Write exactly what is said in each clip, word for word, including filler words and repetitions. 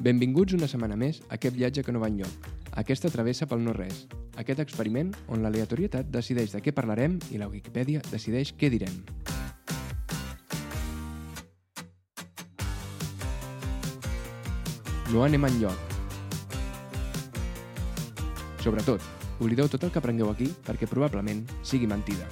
Benvinguts una setmana més a aquest viatge que no va enlloc, aquesta travessa pel no-res, aquest experiment on l'aleatorietat decideix de què parlarem i la Wikipedia decideix què direm. No anem enlloc. Sobretot, oblideu tot el que aprengueu aquí perquè probablement sigui mentida.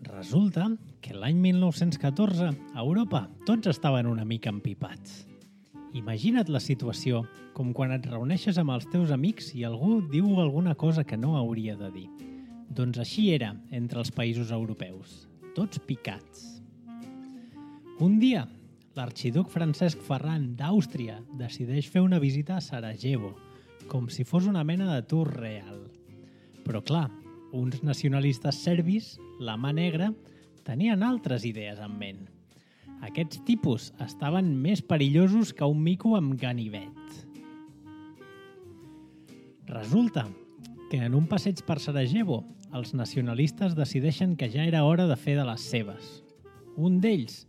Resulta que l'any mil nou-cents catorze a Europa tots estaven una mica empipats. Imagina't la situació com quan et reuneixes amb els teus amics i algú diu alguna cosa que no hauria de dir. Doncs així era entre els països europeus, tots picats. Un dia, l'arxiduc Francesc Ferran d'Àustria decideix fer una visita a Sarajevo, com si fos una mena de tour real. Però clar, uns nacionalistes serbis, la mà negra, tenien altres idees en ment. Aquests tipus estaven més perillosos que un mico amb ganivet. Resulta que en un passeig per Sarajevo, els nacionalistes decideixen que ja era hora de fer de les seves. Un d'ells,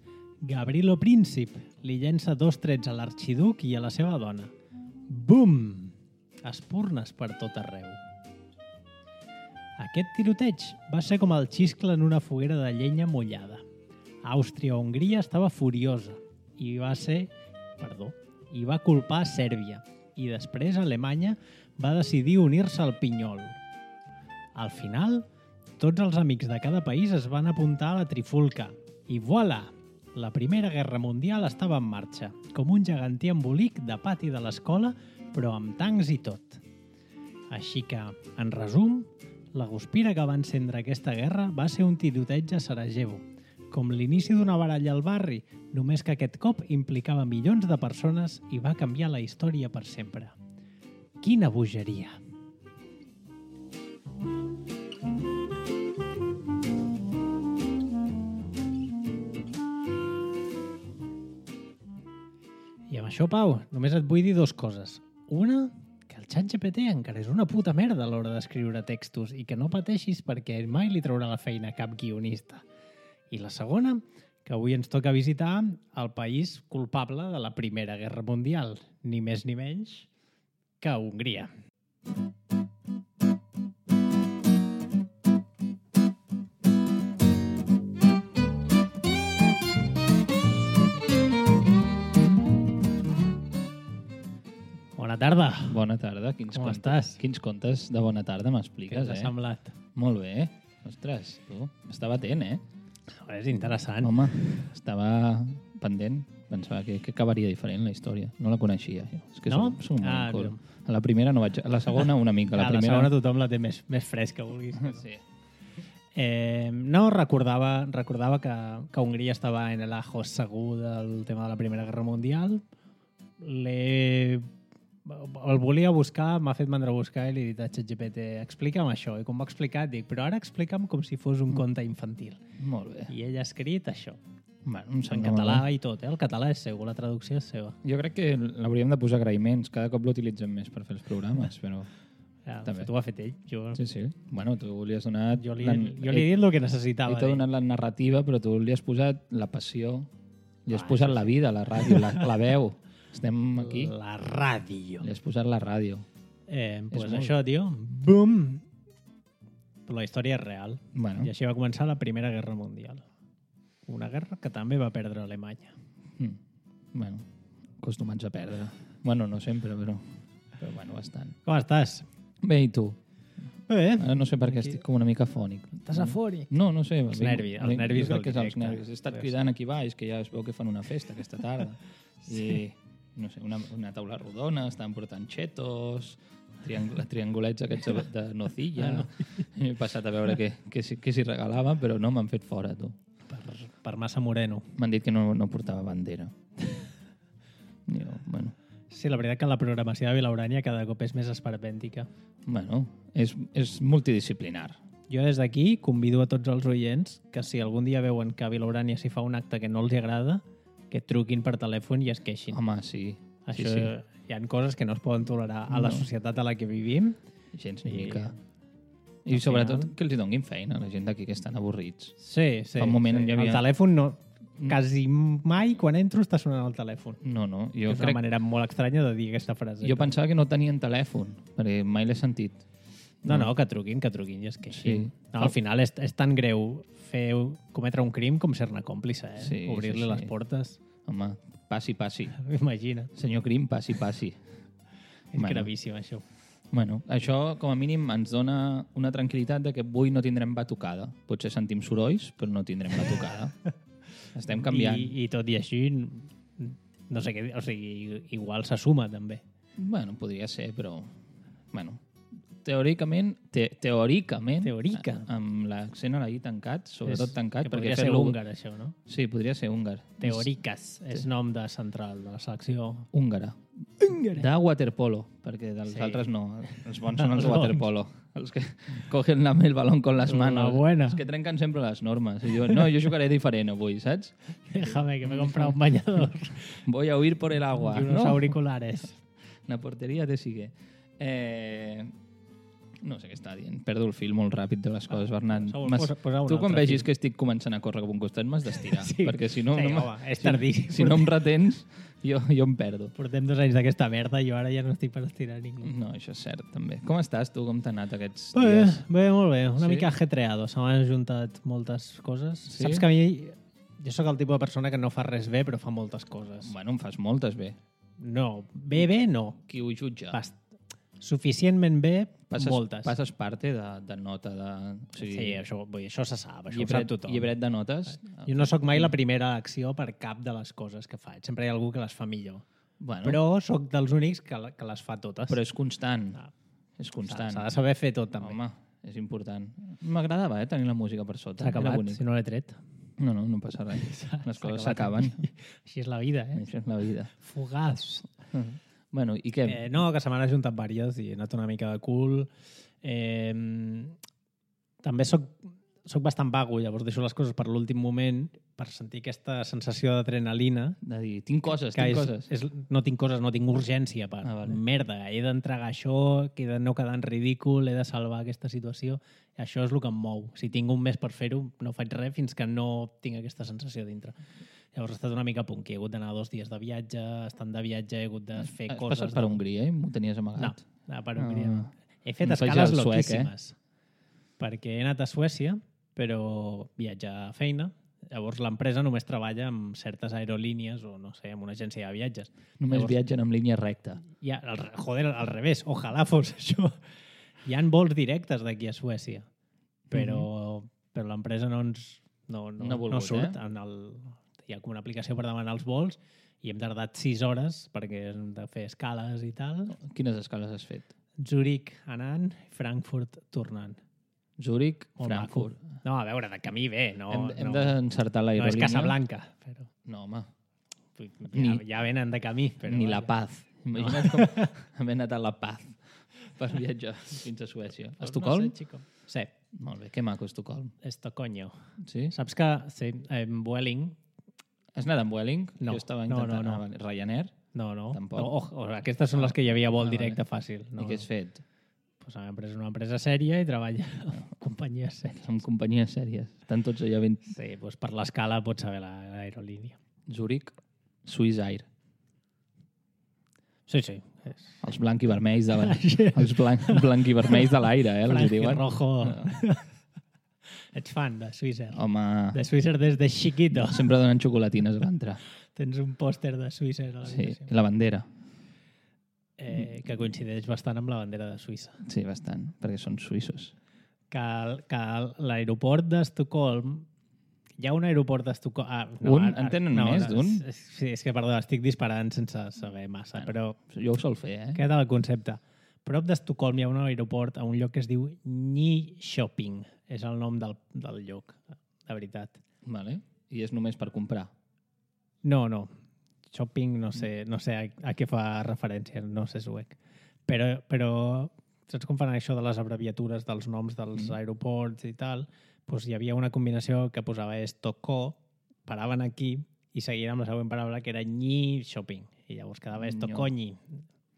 Gavrilo Princip, li llença dos trets a l'arxiduc i a la seva dona. Bum! Espurnes per tot arreu. Aquest tiroteig va ser com el xiscle en una foguera de llenya mullada. Àustria-Hongria estava furiosa i va ser, perdó, i va culpar Sèrbia, i després Alemanya va decidir unir-se al pinyol. Al final, tots els amics de cada país es van apuntar a la trifulca i voilà! La Primera Guerra Mundial estava en marxa, com un gegantí embolic de pati de l'escola, però amb tancs i tot. Així que, en resum, la guspira que va encendre aquesta guerra va ser un tiroteig a Sarajevo, com l'inici d'una baralla al barri, només que aquest cop implicava milions de persones i va canviar la història per sempre. Quina bogeria! I amb això, Pau, només et vull dir dues coses. Una, que el ChatGPT encara és una puta merda a l'hora d'escriure textos i que no pateixis perquè mai li traurà la feina a cap guionista. I la segona, que avui ens toca visitar el país culpable de la Primera Guerra Mundial, ni més ni menys que Hongria. Bona tarda. Bona tarda. Quins Com contes, estàs? Quins contes de bona tarda m'expliques, Què t'ha eh? semblat? Molt bé. Ostres, tu, estava atent, eh? És interessant. Home, estava pendent. Pensava que, que acabaria diferent la història. No la coneixia. Jo. És que No? Som, som Ah, molt no. A la primera no vaig... A la segona una mica. A la Ah, la primera... segona tothom la té més, més fresca, vulguis. Sí. Eh, no, recordava, recordava que, que Hongria estava en el ajo segur del tema de la Primera Guerra Mundial. L'he... El volia buscar, m'ha fet mandra buscar i li he dit a ChatGPT, explica'm això. I com m'ha explicat, dic, però ara explica'm com si fos un conte infantil. Molt bé. I ell ha escrit això. Bueno, em En sembla català molt bé. i tot, eh? El català és seu, la traducció és seva. Jo crec que l'hauríem de posar agraïments. Cada cop l'utilitzem més per fer els programes, però... Ja, També. tu ho ha fet ell. Jo, Sí, sí. Bueno, tu li has donat... jo, li, la- jo li he dit el que necessitava. Ell t'ha d'ell. donat la narrativa, però tu li has posat la passió, li has Ah, posat això la sí. vida, la ràdio, la, la veu. Estem aquí. La ràdio. Li has posat la ràdio. Eh, pues molt- això, tio. Bum! Però la història és real. Bueno, I així va començar la Primera Guerra Mundial. Una guerra que també va perdre Alemanya. mm, bueno, acostumats a perdre. Bueno, no sempre, però, però bueno, bastant. Com estàs? Bé, i tu? Bé. Ara no sé per què Aquí. estic com una mica fònic. Estàs afònic? No, no sé. Els vinc- nervis, els vinc- nervis jo crec del que és els directe. nervis. He estat Deu cridant aquí baix, que ja es veu que fan una festa aquesta tarda. Sí. I, no sé, una, una taula rodona, estan portant xetos, triang triangulets aquests de, de nocilla. Ah, no. I he passat a veure què, què, s'hi- què s'hi regalava, però no, m'han fet fora, tu. Per, per massa moreno. M'han dit que no, no portava bandera. Jo, bueno, Sí, la veritat que la programació de Vilaurània cada cop és més esperpèntica. bueno és, és multidisciplinar. Jo des d'aquí convido a tots els oients que si algun dia veuen que a Vilaurània s'hi fa un acte que no els agrada, que et truquin per telèfon i es queixin. Home, sí. Això, sí, sí. hi ha coses que no es poden tolerar a la No. societat a la que vivim. Gens ni I- mica. al I sobretot final- que els hi donguin feina a la gent d'aquí que estan avorrits. Sí, sí. Fa un moment sí. hi havia- El telèfon no... Quasi mai quan entro està sonant el telèfon. No, no. Jo, És una crec, manera molt estranya de dir aquesta frase. jo pensava que no tenien telèfon, perquè mai l'he sentit. No, no, que truquin, que truquin i es queixin. Sí. No, al final és, és tan greu fer, cometre un crim com ser-ne còmplice, eh? Sí, Obrir-li sí, sí. les portes. Home, passi, passi. Imagina't. Senyor Crim, passi, passi. És Bueno. gravíssim, això. Bueno, això, com a mínim, ens dona una tranquil·litat de que avui no tindrem batucada. Potser sentim sorolls, però no tindrem batucada. Estem canviant. I, I tot i així, no sé què dir, o sigui, igual se suma, també. Bueno, podria ser, però... Bueno, teòricament, te, teòricament, Teòrica. a- amb l'accent a la I tancat, sobretot És- tancat, que perquè podria ser fer-lo- húngar, això, no? Sí, podria ser húngar. Teòriques, és nom de central de la selecció. Húngara. De waterpolo, perquè dels Sí. altres no. Els bons són els Els bons. waterpolo. Els que cogen la, el balón con les La manos. buena. Els que trenquen sempre les normes. I diuen, no, jo jugaré diferent avui, saps? Déjame, que me he comprado un bañador Voy a huir por el agua. y unos ¿no? auriculares. La porteria te sigue. Eh... No sé què està dient. Perdo el fil molt ràpid de les coses, Bernat. Posa- M'has- posa- posa un tu quan altre vegis fil. que estic començant a córrer cap a un costat m'has d'estirar, Sí. perquè si no... Sí, no me- home, és si- tardíssim. Si no em retens, jo, jo em perdo. Portem dos anys d'aquesta merda i jo ara ja no estic per estirar ningú. No, això és cert, també. Com estàs, tu? Com t'ha anat aquests Bé, dies? bé, molt bé. Una Sí? mica ajetreado. Se m'han juntat moltes coses. Sí? Saps que a mi... Jo sóc el tipus de persona que no fa res bé, però fa moltes coses. Bueno, em fas moltes bé. No, bé, bé, no. Qui ho jutja? Bast Suficientment bé, passes, moltes. Passes parte de, de nota de... O sigui, Sí, això, vull dir, això se sap, això llibret, ho sap tothom. llibret de notes. Jo no sóc mai la primera acció per cap de les coses que faig. Sempre hi ha algú que les fa millor. Bueno, Però sóc dels únics que, la- que les fa totes. però és constant. Ah. És S'ha constant. s'ha de saber fer tot, també. Home, és important. M'agradava, eh, tenir la música per sota. S'ha Era acabat, bonic. si no l'he tret. No, no, no passa res. Les S'ha coses acabat. s'acaben. Així és la vida, eh? Això és la vida. Fugaz. Bueno, i què? Eh, no, que se m'han ajuntat vàries i he anat una mica de cul. Eh, també sóc, sóc bastant vago, llavors deixo les coses per l'últim moment per sentir aquesta sensació d'adrenalina. De dir, tinc coses, Que tinc és, coses. és, no tinc coses, no tinc urgència per Ah, vale. merda, he d'entregar això, que he de no quedar en ridícul, he de salvar aquesta situació. I això és el que em mou. Si tinc un mes per fer-ho, no faig res fins que no tinc aquesta sensació dintre. Llavors he estat una mica punky, he hagut d'anar dos dies de viatge, estant de viatge he hagut de fer Has coses... passat per de- Hongria i m'ho tenies No, amagat? no, per Hongria no. Ah. He fet No faig escales el suec, loquíssimes. Perquè he anat a Suècia, però viatge a feina. Llavors l'empresa només treballa amb certes aerolínies o, no sé, amb una agència de viatges. Només Llavors- viatgen en línia recta. Ja, al, re- joder, al revés, ojalà fos això. Hi ha vols directes d'aquí a Suècia, però, però l'empresa no ens no, no, No ha volgut, no surt. eh? En el, hi ha com una aplicació per demanar els vols i hem tardat sis hores perquè hem de fer escales i tal. Quines escales has fet? Zurich anant, Frankfurt tornant. Zúrich, Molt Frankfurt. maco. No, a veure, de camí bé, no, hem hem no, d'encertar no és l'aerolínia. Casablanca, però No, home. ja, Ni- ja venen de camí. Però Ni vaja. La Paz. Imagina't com haver anat a La Paz per viatjar fins a Suècia. A Pues Estocolm? No sé, chico. Sí, Molt bé, que maco Estocolm. Estocolmo. Sí? Saps que sí, en Vueling... Has anat amb Vueling? No, Jo estava no, intentant... no, no. Ah, vale. Ryanair? No, no. Tampoc. no oh, oh, aquestes són les que hi havia vol Ah, directe vale. fàcil. No, I què has fet? Pues la empresa és una empresa sèria i treballa amb companyies sèries. Amb companyies sèries. Estan tots allà ben... Sí, pues per l'escala pots saber la- l'aerolínia. Zúrich, Swiss Air. Sí, sí. És... Els blanc i vermells de la... els blanc, blanc i vermells de l'aire, eh? Els Frank diuen. Rojo. Ets fan de Swissair. Home, De Swissair des de chiquito. sempre donen xocolatines a l'entrar. Tens un pòster de Swissair a Sí, l'habitació. i la bandera. Eh, que coincideix bastant amb la bandera de Suïssa. Sí, bastant, perquè són suïssos. Que, el- que el- l'aeroport d'Estocolm... Hi ha un aeroport d'Estocolm... Ah, Un? En tenen més d'un? és- Sí, és que, perdó, estic disparant sense saber massa, Bueno. però Jo ho sol fer, eh? queda el concepte. Prop d'Estocolm hi ha un aeroport a un lloc que es diu Nyköping. És el nom del, del lloc, de veritat. Vale. I és només per comprar. No, no. Shopping, no sé, no sé a, a què fa referència, no sé suec. Però, però saps com fan això de les abreviatures dels noms dels Mm. aeroports i tal? Pues hi havia una combinació que posava Estoco, paraven aquí i seguien amb la següent paraula, que era nyi shopping. I llavors quedava Estocolni.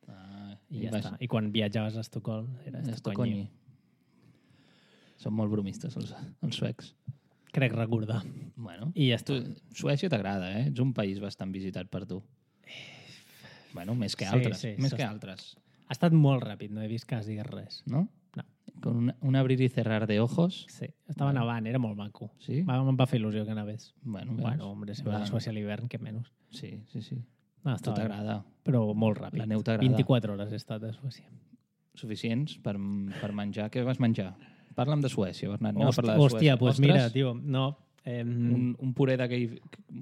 Ah, I ja vas- està. I quan viatjaves a Estocolm era Estocolni. Estocolni. Són molt bromistes, els, els suecs. Crec recordar. Bueno, I ja tu, està. Suècia t'agrada, eh? Ets un país bastant visitat per tu. Bueno, més que Sí, altres. sí, més s'ha- que altres, Ha estat molt ràpid, no he vist quasi res. no? No. Con un, un abrir i cerrar de ojos. Sí, estava Bueno. nevant, era molt maco. Sí? Va, em va fer il·lusió que nevés. Bueno, veus? Bueno, hombre, si vas a Va. Suècia a l'hivern, què menys. Sí, sí, sí. No, A tu estava bé, t'agrada. però molt ràpid. La neu t'agrada. vint-i-quatre hores he estat a Suècia. Suficients per, per menjar. Què vas menjar? Parla'm de Suècia, Bernat. Anem a Host, parlar de hòstia, Suècia. doncs pues Ostres, mira, tio, no... Eh, un, un puré d'aquell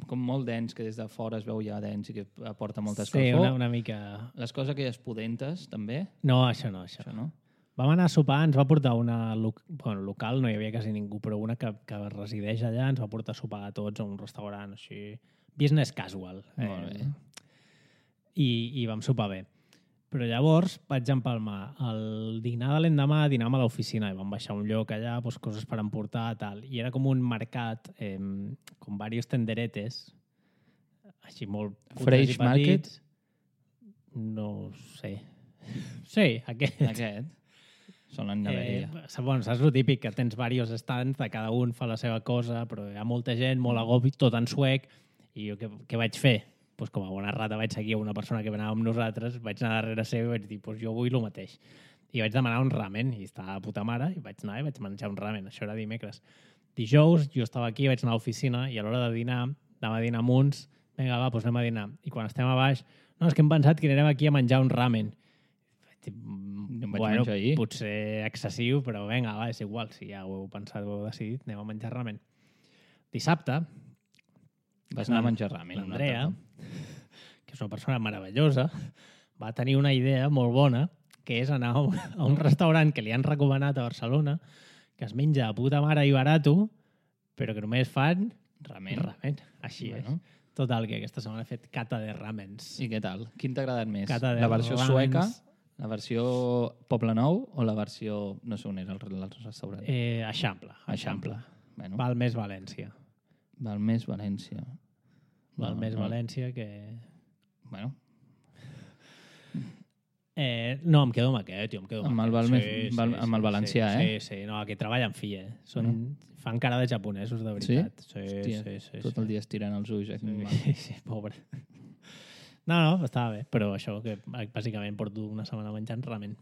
com molt dens, que des de fora es veu ja dens i que aporta molta sí, escalfor. una, una mica... Les coses aquelles pudentes, també. No, això no, això. Això no? Vam anar a sopar, ens va portar una... lo- Bueno, local, no hi havia quasi ningú, però una que, que resideix allà ens va portar a sopar a tots a un restaurant així... Business casual. Molt bé. I, I vam sopar bé. Però llavors vaig empalmar el dinar de l'endemà, dinàvem a l'oficina i vam baixar a un lloc allà, doncs, coses per emportar, tal. I era com un mercat, eh, com diversos tenderetes, així molt... cutres i Fresh market? petits. No sé. Sí, aquest. Aquest. Són la neveria. Eh, bueno, saps el típic, que tens diversos stands, de cada un fa la seva cosa, però hi ha molta gent, molt agobi, tot en suec, i jo què, què vaig fer? Pues com a bona rata vaig seguir una persona que anava amb nosaltres, vaig anar darrere seu i vaig dir, pues jo vull el mateix. I vaig demanar un ramen, i estava a puta mare, i vaig anar i vaig menjar un ramen. Això era dimecres. Dijous, jo estava aquí, vaig anar a l'oficina, i a l'hora de dinar, anava a dinar amb uns, vinga, va, doncs anem a dinar. I quan estem a baix, no, és que hem pensat que anirem aquí a menjar un ramen. Vaig dir, Jo em vaig bueno, menjar ahir. potser excessiu, però vinga, va, és igual, si ja ho heu pensat, ho heu decidit, anem a menjar ramen. Dissabte, Vas anar a menjar ramen. una l'Andrea, altra. que és una persona meravellosa, va tenir una idea molt bona, que és anar a un, a un restaurant que li han recomanat a Barcelona, que es menja a puta mare i barato, però que només fan Ramen. ramen. Així Bueno. és. Total, que aquesta setmana he fet cata de ramens. I què tal? Quin t'ha agradat més? Cata de La versió ramens. sueca, la versió Poble Nou o la versió... No sé on era el, el restaurant. Eh, Eixample. Eixample. Bueno, Val més València. Val més València. Val No, més no. València que... Bueno, Eh, no, em quedo amb aquest, tio, em quedo Amb el aquest. val més- val- amb el valencià, sí, eh? Sí, sí, no, aquí treballen fi, eh? Són, fan cara de japonesos, de veritat. Sí? Sí, Hòstia, sí, sí. tot sí. el dia estirant els ulls. Eh? Sí, sí, pobre. No, no, estava bé, però això, que bàsicament porto una setmana menjant ramen.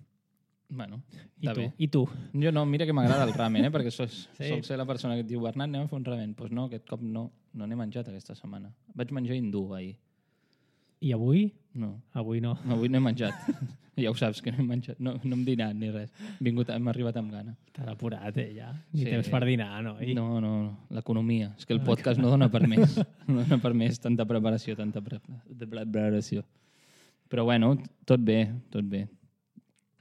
Bueno, I està tu? bé. I tu? Jo no, mira que m'agrada el ramen, eh? perquè sols, Sí. sí. sol ser la persona que et diu Bernat, anem a fer un ramen. Doncs pues no, aquest cop no, no n'he menjat aquesta setmana. Vaig menjar hindú ahir. I avui? No, Avui no. avui no he menjat. Ja ho saps, que no he menjat. No, no hem dinat ni res. Hem, vingut, hem arribat amb gana. T'has apurat, eh, ja. Ni Sí. temps per dinar, no? I... No, no, no. L'economia. És que el podcast no dona per més. No dona per més tanta preparació, tanta pre de preparació. Però bueno, tot bé, tot bé.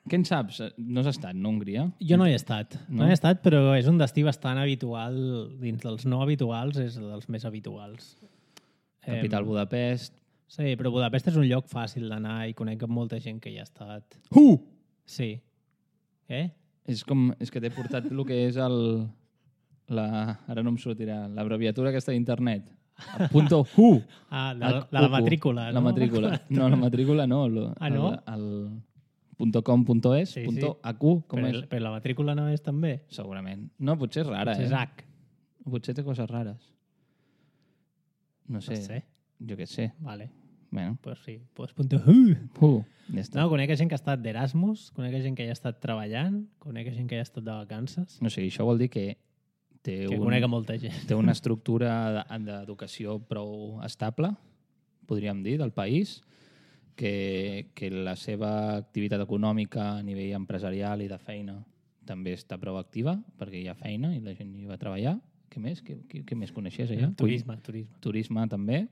Què en saps? No has estat, no, a Hongria? Jo no hi he estat. No? No? no he estat, però és un destí bastant habitual. Dins dels no habituals és dels més habituals. Capital Budapest. Sí, però Budapest és un lloc fàcil d'anar i conec amb molta gent que hi ha estat. Uh! Sí. Què? És com... És que t'he portat el que és el... La, ara no em sortirà. L'abreviatura aquesta d'internet. El punto U. Ah, de, la, de la matrícula, no? La matrícula. No, la matrícula no. Lo, Ah, no? El, el punto com, punto es, Sí, punto sí. acu, com Però, és? el- però la matrícula no és també? Segurament. No, potser és rara, Potser és eh? H. Potser té coses rares. No sé. No sé. Jo què sé. Vale. Bueno. Pues sí. Pues punto U. Uh, ja està. No, conec gent que ha estat d'Erasmus, conec gent que hi ha estat treballant, conec gent que hi ha estat de vacances, No sé, això vol dir que té, que un, conec a molta gent. té una estructura de- d'educació prou estable, podríem dir, del país, que, que la seva activitat econòmica a nivell empresarial i de feina també està prou activa, perquè hi ha feina i la gent hi va treballar. Què més? Què, què, què més coneixies allà? Turisme, turisme. Turisme també.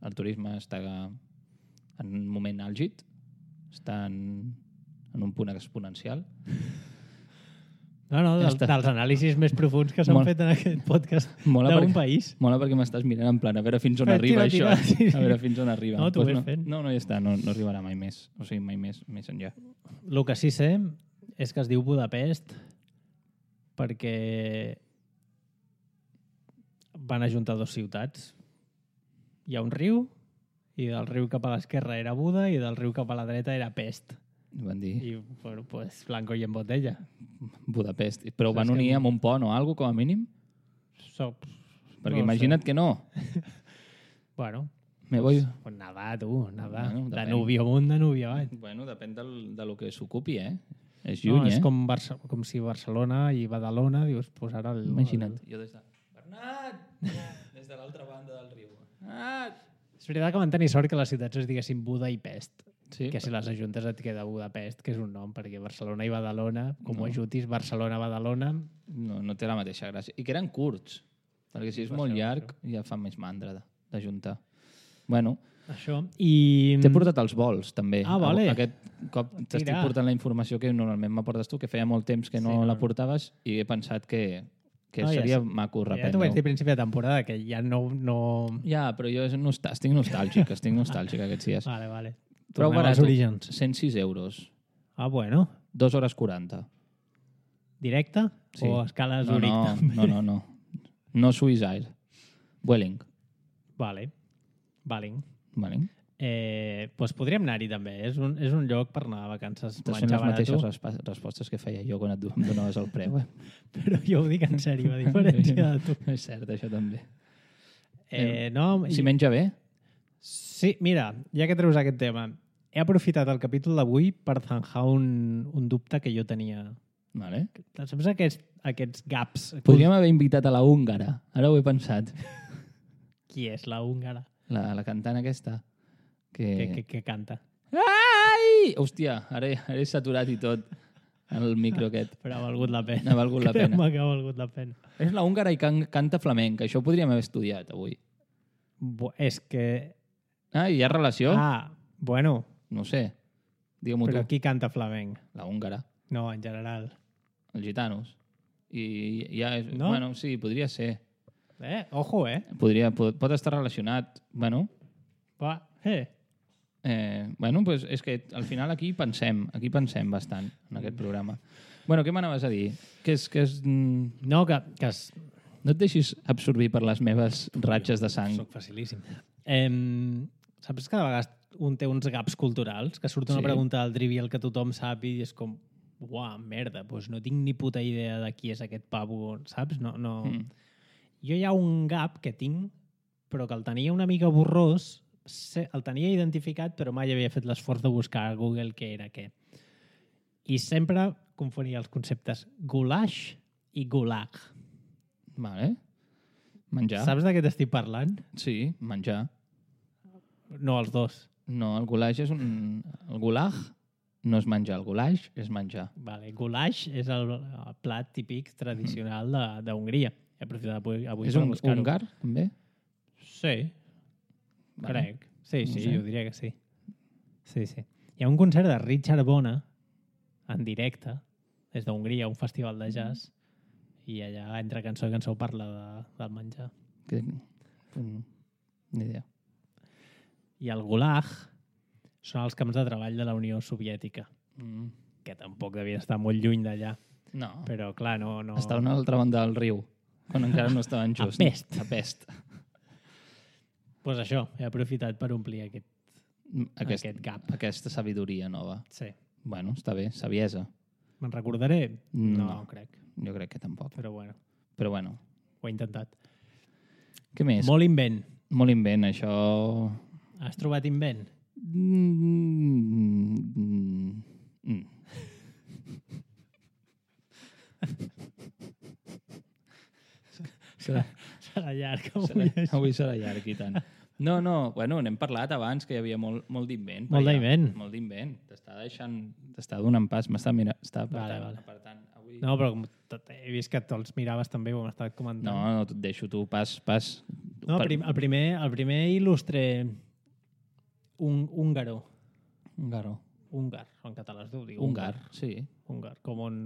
El turisme està en un moment àlgid, està en, en un punt exponencial. No, no, Ja del, està. dels anàlisis més profuns que s'han Molt- fet en aquest podcast Mola d'un perquè- país. Mola perquè m'estàs mirant en plan, a veure fins on Eh, arriba tira, això. tira, sí, sí. A veure fins on arriba. No, t'ho Pues ves no, fent. no, no, ja està, no, no arribarà mai més. O sigui, mai més, més enllà. El que sí sé és que es diu Budapest perquè van ajuntar dos ciutats hi ha un riu, i del riu cap a l'esquerra era Buda i del riu cap a la dreta era Pest. Van dir I, bueno, pues, blanco i en botella. Budapest. Però ho Saps van unir que- amb un pont o alguna com a mínim? So, Perquè no ho imagina't sé. que no. Bueno, Me voy... pues nedar, tu, nedar. Bueno, de depèn. Nubi amunt, de Nubi avall. Bueno, depèn del, de lo que s'ocupi, eh? És No, lluny, és eh? com, Barça, com si Barcelona i Badalona, dius, pues ara... El, Imagina't. Jo des de... Bernat! Des de l'altra banda del riu. Bernat! És veritat que van tenir sort que les ciutats es diguessin Buda i Pest. Sí, Que si les ajuntes et queda Budapest, que és un nom, perquè Barcelona i Badalona, com No. ho ajutis, Barcelona-Badalona... no, no té la mateixa gràcia. I que eren curts, perquè si és Per molt això, llarg ja fa més mandra de- d'ajuntar. Bueno, Això. I... t'he portat els vols, també. Ah, vale. Aquest cop t'estic Tira. portant la informació que normalment m'aportes tu, que feia molt temps que no, Sí, no. la portaves, i he pensat que, que No, ja seria sé. maco Ja t'ho vaig dir reprendre-ho. a principi de temporada, que ja no... no... Ja, però jo és nostà... estic nostàlgic, estic nostàlgic aquests dies. Vale, vale. Prou Tornem barat, als orígens. cent sis euros, Ah, bueno. dos hores quaranta. Directe? Sí. O escala No, Zurich? no, també? no, no, no. No Swiss Air. Vueling. Vale. Vale. Vueling. Eh, pues podríem anar-hi també. És un, és un lloc per anar a vacances. Estàs fent menjar les mateixes barato. respa- respostes que feia jo quan et em donaves el preu. Eh? Però jo ho dic en sèrio, a diferència de tu. És cert, això també. Eh, no, Si menja bé, Sí, mira, ja que treus aquest tema, he aprofitat el capítol d'avui per zanjar un, un dubte que jo tenia. vale. Saps aquests, aquests gaps? Podríem haver invitat a la húngara. Ara ho he pensat. Qui és la húngara? La, la cantant aquesta. Que... Que, que, que canta. Ai! Hòstia, ara, he- ara he saturat i tot el micro aquest. Però ha valgut la pena. Ha valgut la pena. Creu-me que ha valgut la pena. És la húngara i can, canta flamenc. Això ho podríem haver estudiat avui. Bo, és que... Ah, hi ha relació? Ah, bueno, No ho sé. Digue-m'ho però tu. qui canta flamenc? La húngara. No, en general. Els gitanos. I ja és... No? Bueno, sí, podria ser. Eh, ojo, eh? Podria, pot, pot estar relacionat. Bueno, Va, eh. eh, bueno pues és que al final aquí pensem, aquí pensem bastant en aquest programa. Bueno, què m'anaves a dir? Que és, que és, mm, No, que, que es... no et deixis absorbir per les meves ratxes de sang. Soc facilíssim. Eh, saps que de vegades un té uns gaps culturals? Que surt una Sí. pregunta al trivial que tothom sap i és com, uah, merda, doncs no tinc ni puta idea de qui és aquest pavo, saps? No, no... Mm. Jo hi ha un gap que tinc, però que el tenia una mica borrós, sé- el tenia identificat, però mai havia fet l'esforç de buscar a Google què era què. I sempre confonia els conceptes goulash i gulag. Vale. Menjar. Saps de què t'estic parlant? Sí, menjar. No, els dos. No, el goulash és un... El gulag no és menjar, el goulash és menjar. Vale, goulash és el, el plat típic tradicional de- d'Hongria. He aprofitat avui, avui És per un buscar-ho. húngar, també? Sí, Vale. crec. Sí, No sí, sé. jo diria que sí. Sí, sí. Hi ha un concert de Richard Bona en directe, des d'Hongria, un festival de jazz, i allà entre cançó i cançó parla de, del menjar. Que... Mm, Ni idea. I el gulag són els camps de treball de la Unió Soviètica, Mm. que tampoc devia estar molt lluny d'allà. No. Però, clar, no... no... Està a una altra banda del riu, quan encara no estaven A just. Pest. A Pest. Pues això, he aprofitat per omplir aquest... Aquest, Aquest gap. Aquesta sabidoria nova. Sí. Bueno, està bé, saviesa. Me'n recordaré? No, No. crec. Jo crec que tampoc. Però bueno, Però bueno, ho he intentat. què més? Molt invent. Molt invent, això... Has trobat invent? Mm, mm, mm. Serà, Serà llarg. Avui. serà, avui serà llarg i tant. No, no, bueno, n'hem parlat abans que hi havia molt, molt d'invent. Molt per allà. d'invent. Molt d'invent. T'està deixant... T'està donant pas. M'està mira, està apartant. Vale, vale. apartant. Avui... No, però com tot- he vist que te'ls miraves també, ho hem estat comentant. no, no, et deixo tu, pas, pas. no el, prim, el, primer, el primer il·lustre un, húngaro. Húngaro. Húngar, en català es diu. diu Húngar, sí. Húngar, com on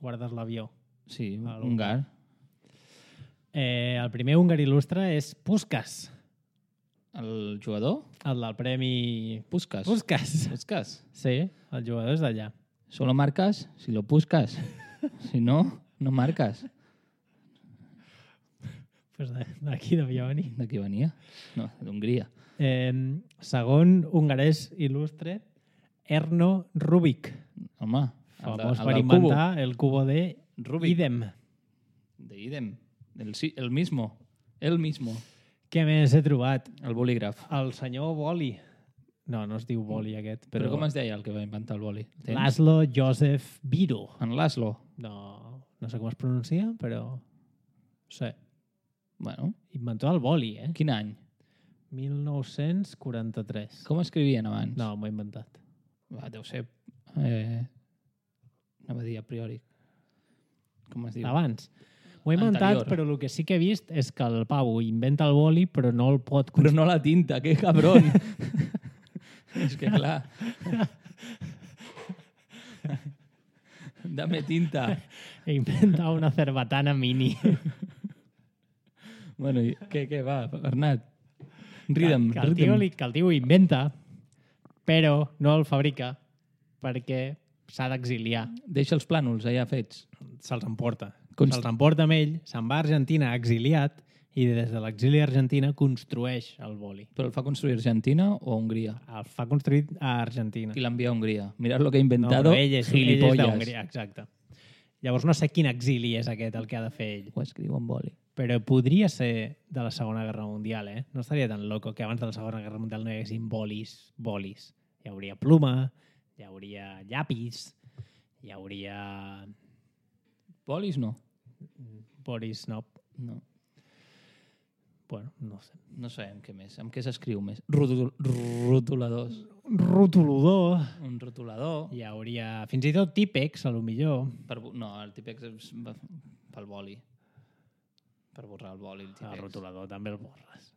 guardes l'avió. Sí, Ah, húngar. Eh, el primer húngar il·lustre és Puskás, El jugador? el del premi... Puskas. Puskás. Puskas. Sí, el jugador és d'allà. Solo marcas si lo puscas. Si no, no marcas. Pues d'aquí devia venir. D'aquí venia? No, d'Hongria. Eh, segon hongarès il·lustre, Erno Rubik, Home, famós el per del inventar el cubo de Rubik. Idem. De Idem. El, sí, el mismo. El mismo. Què més he trobat? El bolígraf. El senyor Boli. No, no es diu Boli aquest, Però, però... com es deia el que va inventar el boli? Tens? Laszlo Joseph Biro. En Laszlo. No, no sé com es pronuncia, però... No sé. Bueno, Inventor del boli, eh? quin any? mil nou-cents quaranta-tres. Com escrivien abans? No, m'ho he inventat. Va, deu ser... Eh, anava a dir a priori. Com es diu? Abans. Ho he inventat, Anterior. però el que sí que he vist és que el Pau inventa el boli, però no el pot... Però no la tinta, que cabrón. És que clar... Dame tinta. Inventa una cerbatana mini. Bueno, i què, què, va, Bernat? Ridem, que, el tio, ridem. li- que el tio ho inventa, però no el fabrica perquè s'ha d'exiliar. Deixa els plànols allà fets. Se'ls emporta. Const- Se'ls emporta amb ell, se'n va a Argentina exiliat i des de l'exili a Argentina construeix el boli. Però el fa construir Argentina o Hongria? El fa construir a Argentina. I l'envia a Hongria. Mirad lo que ha No, inventado, però ell és, ell és gilipollas. d'Hongria, exacte. Llavors no sé quin exili és aquest el que ha de fer ell. Ho escriu en boli. Però podria ser de la Segona Guerra Mundial, eh? No estaria tan loco que abans de la Segona Guerra Mundial no hi haguessin bolis, bolis. Hi hauria pluma, hi hauria llapis, hi hauria Bolis no. bolis, no. No. Bueno, no sé. No sabem què més. Amb què s'escriu més? Rotul rotuladors. Rotulodor, Un rotulador. hi hauria fins i tot típex, a lo millor. Per, bu- no, el típex és va- pel boli. Per borrar el boli, el El típex. rotulador també el borres.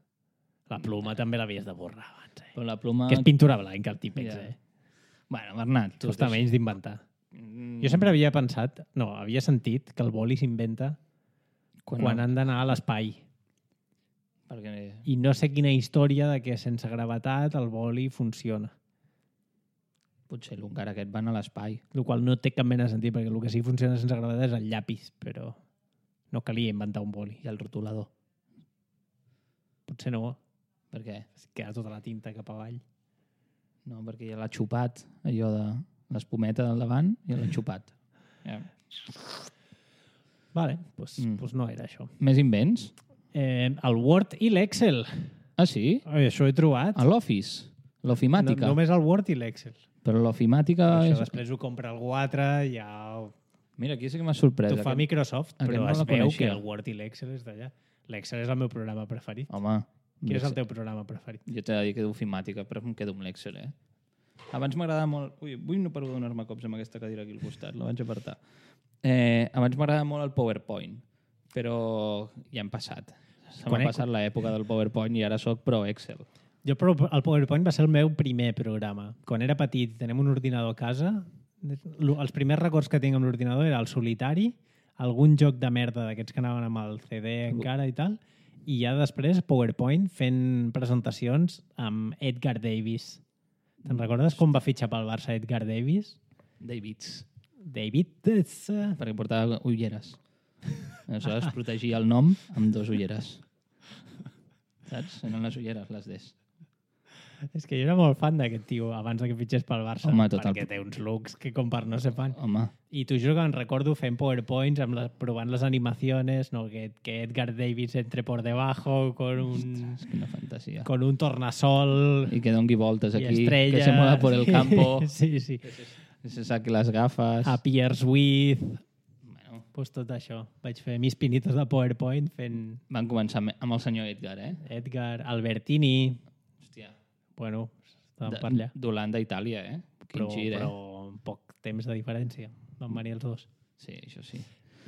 La pluma també l'havies de borrar abans, eh? Però la pluma... Que és pintura blanca, el típex, Ja. eh? Bueno, Bernat, tu... Costa menys d'inventar. Mm, Jo sempre havia pensat, no, havia sentit que el boli s'inventa quan, quan han d'anar a l'espai. Perquè... I no sé quina història de que sense gravetat el boli funciona. Potser l'húngar aquest van a l'espai. El qual no té cap mena de sentit, perquè el que sí que funciona sense gravetat és el llapis, però no calia inventar un boli. I el rotulador. Potser no, Per què? es queda tota la tinta cap avall. No, perquè ja l'ha xupat, allò de l'espumeta del davant, i l'ha xupat. Ja. Vale, doncs Mm. mm. pues no era això. Més invents? Eh, el Word i l'Excel. Ah, sí? Ai, això he trobat. A l'Office. L'ofimàtica. No, només el Word i l'Excel. Però l'ofimàtica... Això És... després ho compra algú altre, ja ho Mira, aquí sí que m'ha sorprès. T'ho fa Aquest- Microsoft, aquest però no es la veu coneixia. que el Word i l'Excel és d'allà. L'Excel és el meu programa preferit. Home, Quin és el teu programa preferit? jo t'he de dir que d'ofimàtica, però em quedo amb l'Excel, eh? Abans m'agradava molt... Ui, avui no paro de donar-me cops amb aquesta cadira aquí al costat, la vaig apartar. Eh, abans m'agradava molt el PowerPoint, però ja hem passat. Se m'ha Quan he- passat l'època del PowerPoint i ara sóc pro Excel. Jo, però el PowerPoint va ser el meu primer programa. Quan era petit i tenem un ordinador a casa, l- els primers records que tinc amb l'ordinador era el solitari, algun joc de merda d'aquests que anaven amb el C D encara i tal, i ja després PowerPoint fent presentacions amb Edgar Davis. Te'n recordes com va fitxar pel Barça Edgar Davis? Davids, David... és, eh, perquè portava ulleres. Aleshores protegia el nom amb dos ulleres. Saps? Eren les ulleres, les des. És que jo era molt fan d'aquest tio abans de que fitxés pel Barça, Home, tot el- perquè té uns looks que com per no ser fan. Home, I t'ho juro que em recordo fent PowerPoints, amb les, provant les animaciones, no? que, que Edgar Davis entre por debajo con un, és quina fantasia. con un tornasol Y que dongui voltes y aquí, estrellas. que se mueva por el campo, Sí, sí. que se saque les gafes. Appears with... Bueno, Pues tot això. Vaig fer mis pinitos de PowerPoint fent van començar amb amb el senyor Edgar, eh? Edgar, Albertini... Hòstia. Bueno, estàvem De- per allà. D'Holanda a Itàlia, eh? Quin Però, gir, eh? però amb poc temps de diferència. Van venir els dos. Sí, això sí.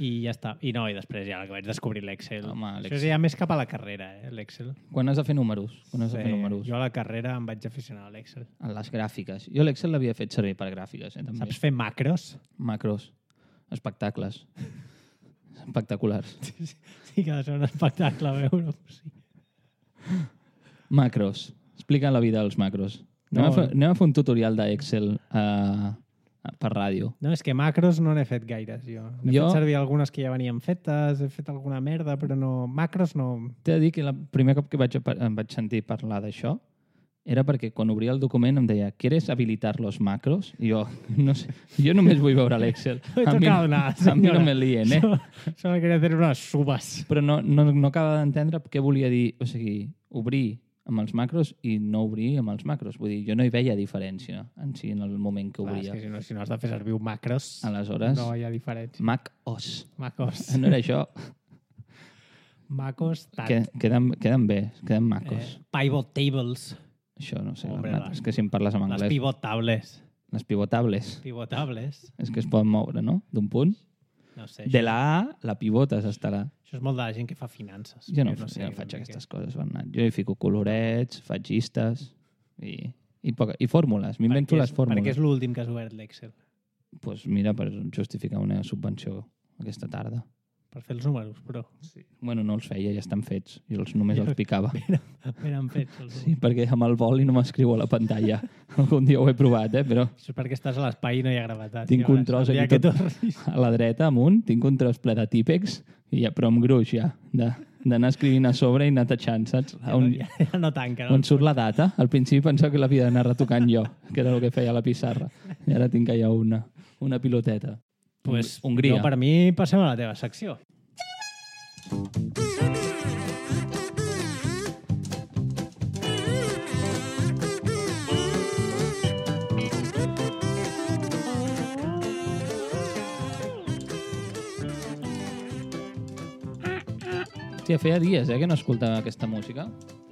I ja està. I no, i després ja que vaig descobrir l'Excel. Home, Això l'Excel. és ja més cap a la carrera, eh, l'Excel. Quan has de fer números? Quan has de fer números? Jo a la carrera em vaig aficionar a l'Excel. A les gràfiques. Jo l'Excel l'havia fet servir per gràfiques, eh? També. Saps fer macros? Macros. Espectacles. Espectaculars. Sí que ha de ser un espectacle veure-ho. Sí. Macros. Explica la vida dels macros. Anem, No. a, fer, anem a fer un tutorial d'Excel a, per ràdio. No, és que macros no n'he fet gaires, jo. He Jo- fet servir algunes que ja venien fetes, he fet alguna merda, però no... Macros no... T'he de dir que el primer cop que vaig, em vaig sentir parlar d'això era perquè quan obria el document em deia ¿quieres habilitar los macros? I jo, no sé, jo només vull veure l'Excel. No he A mi, tocado nada, a mi no señora. me lien, eh? Solo, solo quería hacer unas subas. Però no, no, no acaba d'entendre què volia dir. O sigui, obrir amb els macros i no obrir amb els macros. Vull dir, jo no hi veia diferència en si en el moment que Clar, és obria. que si no, si no has de fer servir un macros, Aleshores, no hi ha diferència. Mac O S. Macos. No era això. Macos, tant. Que, queden, queden bé, queden macos. Eh, pivot tables. Això no sé, Hombre, Bernat, les- és que si em parles en Les anglès... pivot tables. Les pivotables. Pivotables. És que es poden moure, no? D'un punt. No sé. De això, la A, la pivotes estarà. això és molt de la gent que fa finances. Jo no, no sé, jo no faig una aquestes coses, Bernat. Jo hi fico colorets, faig llistes i, i, poca, i fórmules. M'invento Perquè les és- fórmules. Perquè és l'últim que has obert l'Excel. Pues mira, per justificar una subvenció aquesta tarda. Per fer els números, però. Sí. Bueno, no els feia, ja estan fets. Jo els, només els picava. Eren fets. Els Sí, perquè amb el boli no m'escriu a la pantalla. Algun dia ho he provat, eh? Però Això és perquè estàs a l'espai i no hi ha gravetat. tinc un tros El dia aquí que tot tornis. a la dreta, amunt, tinc un tros ple de típex, i ja, però amb gruix ja, de- d'anar escrivint a sobre i anar tachant, saps? Ja, On, no, ja, ja no tanca, no? on surt la data. Al principi pensava que l'havia d'anar retocant jo, que era el que feia a la pissarra. I ara tinc allà una, una piloteta. Pues, Hongria. jo, per mi, passem a la teva secció. Hòstia, feia dies eh, que no escoltava aquesta música.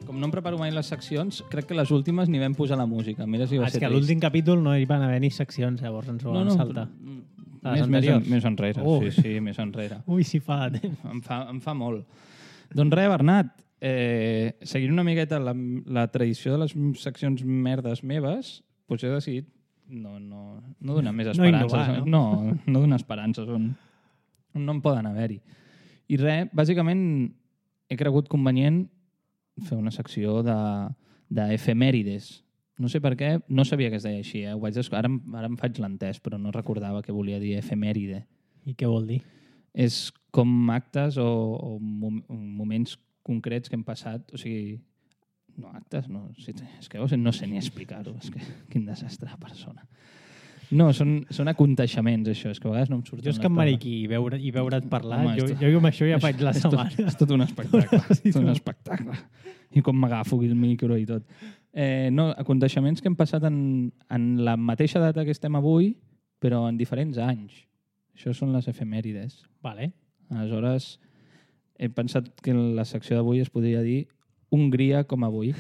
Com no em preparo mai les seccions, crec que les últimes ni vam posar la música. Mira si va Ah, és ser que a trist. l'últim capítol no hi van haver ni seccions, llavors ens ho vam saltar. però- A les Més, més, anteriors? més enrere, Oh. sí, sí, més enrere. Ui, si fa temps. Em fa, em fa molt. Doncs res, Bernat, eh, seguint una miqueta la, la tradició de les seccions merdes meves, doncs he decidit no, no, no donar més No esperances. innovar, no? no, no donar esperances on, on no en poden haver-hi. I res, bàsicament he cregut convenient fer una secció de, de efemèrides. No sé per què, no sabia que es deia així. Eh? Ho vaig desco- ara, em- ara em faig l'entès, però no recordava que volia dir efemèride. I què vol dir? És com actes o, o mom moments concrets que hem passat, o sigui, no actes, no, sí, és que no sé ni explicar-ho, és que quin desastre de persona. No, són, són aconteixements, això, és que a vegades no em surten Jo és que les em paraules. mariqui i veure, i veure't parlar, Home, jo, esto- jo amb això ja faig la És tot, setmana. és tot un espectacle, Sí, és tot un tu. espectacle. I com m'agafo aquí el micro i tot. Eh, no, aconteixements que hem passat en, en la mateixa data que estem avui, però en diferents anys. Això són les efemèrides. Vale. Aleshores, he pensat que en la secció d'avui es podria dir Hongria com avui.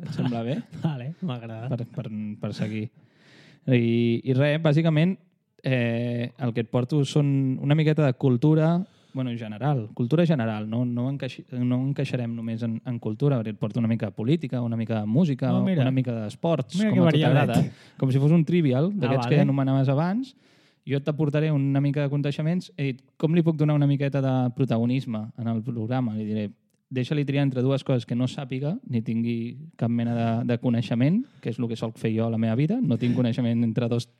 Et sembla bé? Vale, m'agrada. Per, per, per seguir. I, i res, bàsicament, eh, el que et porto són una miqueta de cultura, bueno, general, cultura general, no, no, encaixi, no encaixarem només en, en cultura, perquè et porto una mica de política, una mica de música, Oh, mira. una mica d'esports, Mira com que a tu variadet. t'agrada. Com si fos un trivial, d'aquests Ah, que vale. anomenaves abans. Jo t'aportaré una mica de coneixements i com li puc donar una miqueta de protagonisme en el programa? Li diré, deixa-li triar entre dues coses que no sàpiga ni tingui cap mena de, de coneixement, que és el que solc fer jo a la meva vida. No tinc coneixement entre dos,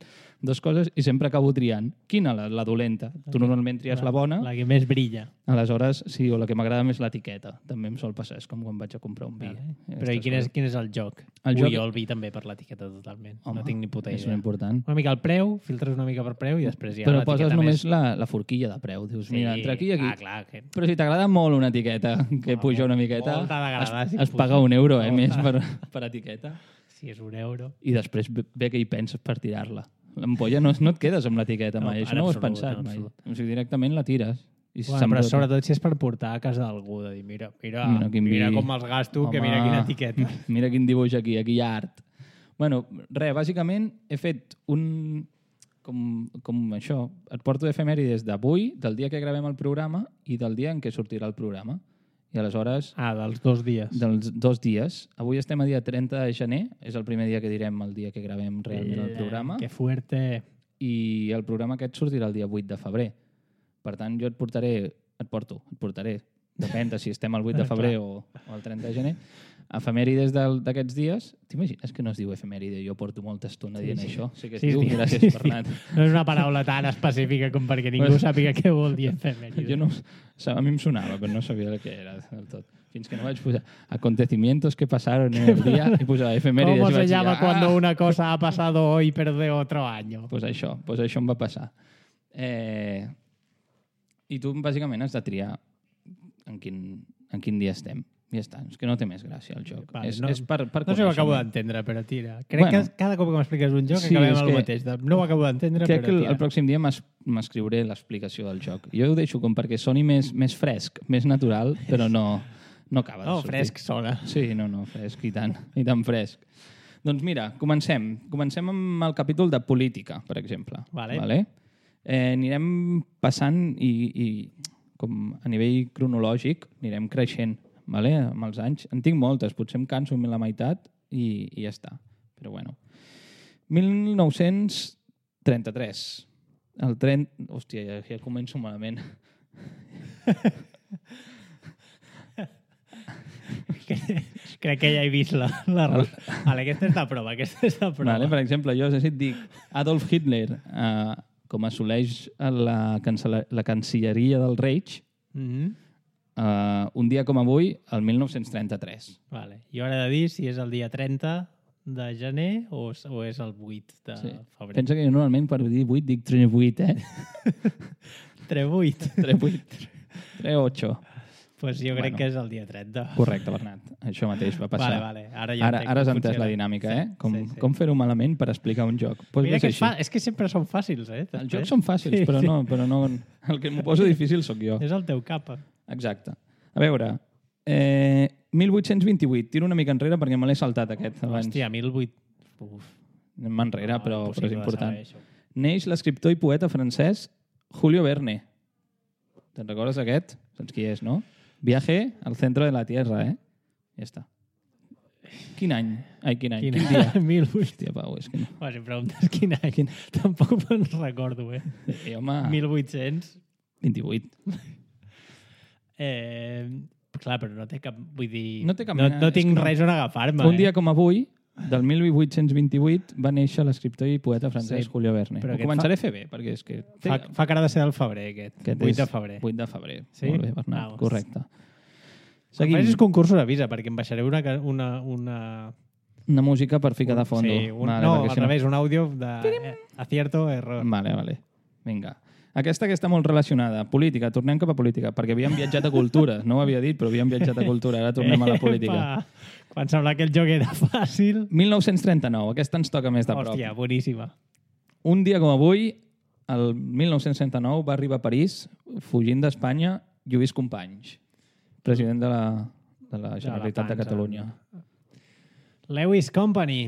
dos coses i sempre acabo triant. Quina? La, la dolenta. Tu normalment tries la bona, La que més brilla. aleshores, sí, o la que m'agrada més l'etiqueta. També em sol passar, és com quan vaig a comprar un vi. Vale. Eh, Però i aquestes quin és, coses. quin és el joc? El Ui, joc- jo el vi també per l'etiqueta totalment. Home, no tinc ni puta és idea. important. Una mica el preu, filtres una mica per preu i després ja Però l'etiqueta poses només més... la, la forquilla de preu. Dius, mira, entre aquí i aquí. Ah, clar, que... Però si t'agrada molt una etiqueta que Ah, puja una molt- miqueta, molt t'ha d'agradar es, si es puja. paga un euro eh, Molt. més per, per etiqueta. Si és un euro... I després ve ve que hi penses per tirar-la. L'ampolla no, no et quedes amb l'etiqueta No, mai, en això no ho has absolut, pensat en mai. absolut. O sigui, directament la tires. I Bueno, se'n però brota. sobretot si és per portar a casa d'algú, de dir, mira, mira, Mira quin mira vi. com els gasto, que Home, mira quina etiqueta. Mira quin dibuix aquí, aquí hi ha art. Bueno, res, bàsicament he fet un... Com, com això, et porto efemèrides d'avui, del dia que gravem el programa i del dia en què sortirà el programa. I aleshores, Ah, dels dos dies. dels dos dies. Avui estem a dia trenta de gener, és el primer dia que direm el dia que gravem realment el programa, Que fuerte. i el programa aquest sortirà el dia vuit de febrer. Per tant, jo et portaré, et porto, et portaré, depèn de si estem el vuit de febrer o, o el trenta de gener, efemèrides del- d'aquests dies. T'imagines que no es diu efemèride? Jo porto molta estona Sí, dient sí. això. Sí que es Sí, diu. sí, Gràcies, sí, sí. Bernat. No és una paraula tan específica com perquè ningú Pues- sàpiga què vol dir efemèride. Jo no, a mi em sonava, però no sabia el que era del tot. Fins que no vaig posar acontecimientos que pasaron en el dia i posava efemèrides. ¿Cómo i se vaig dir, llama "Ah!". cuando una cosa ha pasado hoy pero de otro año? Pues això, pues això em va passar. Eh, I tu, bàsicament, has de triar en quin, en quin dia estem. I ja està. És que no té més gràcia el joc. Vale, és, no- és per, per No sé, ho acabo coneixement. d'entendre, però tira. Crec Bueno. que cada cop que m'expliques un joc Sí, acabem és el que- mateix. De- No ho acabo d'entendre, Crec però que el, tira. el pròxim dia m'es- m'escriuré l'explicació del joc. Jo ho deixo com perquè soni més, més fresc, més natural, però no, no acaba de No, sortir. fresc sona. Sí, no, no, fresc, i tant, i tant fresc. Doncs mira, comencem. Comencem amb el capítol de política, per exemple. Vale. Vale? Eh, anirem passant i, i com a nivell cronològic anirem creixent vale? Amb els anys. En tinc moltes, potser em canso a la meitat i, i ja està. Però bueno. mil nou-cents trenta-tres. El tren... Hòstia, ja, ja començo malament. Crec que ja he vist la... la... Vale, aquesta és la prova, aquesta és la prova. Vale, per exemple, jo si et dic Adolf Hitler, eh, com assoleix la, cancel·la- la cancilleria del Reich, Mhm. eh, un dia com avui, el mil nou-cents trenta-tres. Vale. I ara he de dir si és el dia trenta de gener o, és- o és el vuit de Sí. febrer. Pensa que jo normalment per dir vuit dic trenta-vuit, eh? Tre vuit. trenta-vuit. trenta-ocho. Pues jo crec Bueno. que és el dia trenta. Correcte, Bernat. Això mateix va passar. Vale, vale. Ara ja Ara, entenc ara has com entès la funciona. dinàmica, Sí, eh? Com, sí, sí. com fer-ho malament per explicar un joc. Pues Mira és que és, així. fa... és que sempre són fàcils, eh? Els després. jocs són fàcils, Sí, però, sí. no, però no... El que m'ho poso difícil sóc jo. És el teu capa. Exacte. A veure, eh, mil vuit-cents vint-i-vuit. Tiro una mica enrere perquè me l'he saltat aquest abans. Hòstia, mil vuit... Uf. Anem enrere, però, però és impossible de important. saber, això. Neix l'escriptor i poeta francès Julio Verne. Te'n recordes aquest? Saps qui és, no? Viaje al centro de la Tierra, eh? Ja està. Quin any? Ai, quin any? Quin, Quin, dia? mil vuit... Hòstia, Pau, és que no. Bueno, si em preguntes quin any, quin... tampoc me'n recordo, eh? Eh, home, mil vuit-cents... vint-i-vuit. Eh, clar, però no té cap... Vull dir... No té cap no, mena- no és tinc que no. res on agafar-me. Un dia eh? com avui, del mil vuit-cents vint-i-vuit, va néixer l'escriptor i poeta francès Sí, Julio Verne. però Ho aquest començaré a fer bé, perquè és que... té- Fa, fa cara de ser del febrer, aquest. aquest vuit és de febrer. vuit de febrer. Sí? Molt bé, Bernat, Ah, correcte. Seguim. Seguim. Facis concursos, avisa, perquè em baixaré una... ca- una, una... Una música per ficar de fondo. Sí, un, Vale, no, perquè al si revés, un àudio de eh, acierto, error. Vale, vale. Vinga. Aquesta que està molt relacionada. Política. Tornem cap a política, perquè havíem viatjat a cultura. No ho havia dit, però havíem viatjat a cultura. Ara tornem a la política. Epa! Quan semblava que el joc era fàcil... mil nou-cents trenta-nou. Aquesta ens toca més de prop. Hòstia, boníssima. Un dia com avui, el mil nou-cents trenta-nou, va arribar a París, fugint d'Espanya, Lluís Companys, president de la, de la Generalitat de Pansa. Catalunya. Lewis Company.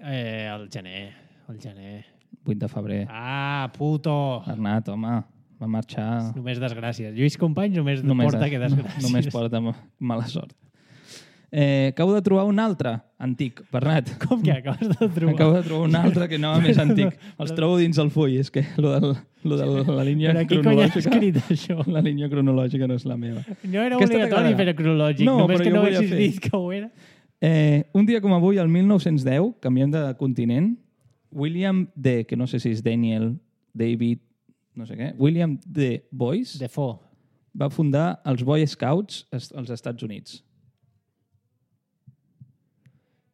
Eh, el gener. El gener. vuit de febrer. Ah, puto. Bernat, home, va marxar... Només desgràcies. Lluís Companys només, Només, porta que desgràcies. només porta ma- mala sort. Eh, acabo de trobar un altre antic, Bernat. Com que acabes de trobar? Acabo de trobar un altre que no més antic. Els trobo dins el full. És que lo, del, lo de la línia Però qui cony ha cronològica... escrit això? La línia cronològica no és la meva. No era Aquesta obligatori t'agradarà. fer cronològic, No, només però que jo no volia haguessis fer. dit que ho era. Eh, un dia com avui, el mil nou-cents deu, canviem de continent, William D., que no sé si és Daniel, David, no sé què, William D. Boyce, Defoe. va fundar els Boy Scouts als als Estats Units.